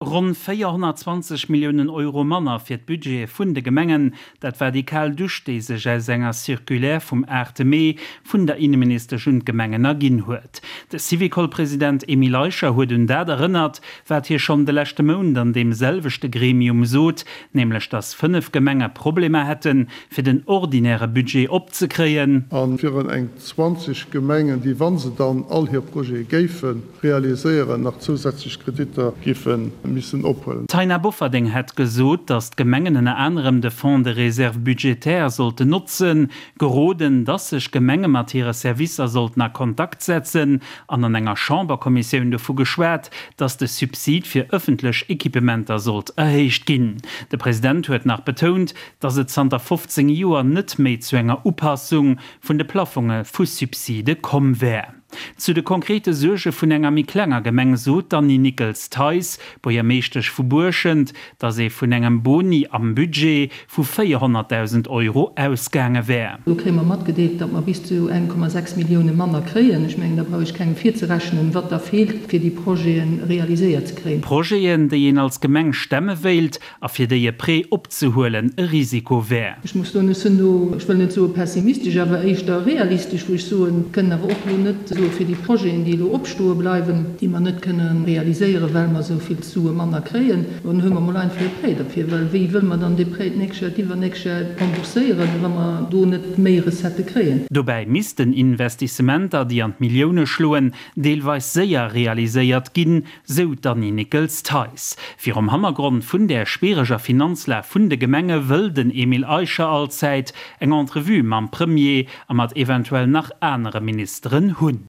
Ronn 420 Milliounen Euro manner fir d'Budgete vun de Gemengen, dat war déi kal Dusch, déi sech aus enger Circulaire vum 8 Mee vun der Inneministesch un d'Gemengen erginn huet. De Syvicol-President Emile Eicher huet un dat erënnert, wat hie schonn de leschte Mount an deem selwechte Gremium sot, nämlech datt 5 Gemenge Problemer hätten, fir den ordinäre Budget opzekréien. A virun eng 20 Gemengen, déi, wa se dann all hir Projete géife realiséieren, nach zousätzlech Kreditter géife missen ophuelen. D'Taina Bofferding hätt gesot, datt d'Gemengen ënner anerem de Fonds de réserve budgétaire sollten notzen, geroden, datt sech Gemenge mat hire Servicer sollten a Kontakt setzen an an enger Chamberkommissioun dovu geschwat, datt de Subsid fir ëffentlech Equipementer sollt erhéicht ginn. De President huet nach betount, datt et zanter 15 Joer net méi zu enger Upassung vun de Plaffonge vu Subside komm wär. Zu de konkrete Suerge vun enger méi klenger Gemeng sot d'Annie Nickels-Theis, Buergermeeschtesch vu Buerschent, datt ee vun engem Boni am Budget vu 400.000 Euro ausgaange wär. Elo kréie mer matgedeelt, datt mer bis zu 1,6 Millioune manner kréien. Ech mengen, da brauch ech kengem virzerechnen, wat da feelt, fir déi Projete realiséiert ze kréien. Projeten, déi een als Gemeng stemme wéilt, a fir déi e Prêt opzehuelen e Risiko wär. Ech muss soen, ech sinn do, ech wëll net soe pessimistesch, awer éischter realistesch, wou ech soen, mir kënnen awer och elo net soe fir déi Projeten, déi elo opstoe bleiwen, déi mer net kënne realiséieren, well mer esou vill Sue manner kréien, dann huele mer mol einfach e Prêt derfir, well wéi wëlle mer dann dee Prêt d'nächst Joer, d'iwwernächst Joer rembourséieren, wa mer do net méi Recettë kréien? Dobäi missten Investissementer, déi an d'Millioune schloen, deelweis séier realiséiert ginn, sou d'Annie Nickels-Theis. Virum Hannergrond vun där schwiereger Finanzlag vun de Gemenge wëll den Emile Eicher allzäit eng Entrevue mam Premier a mat eventuell nach anere Ministeren hunn.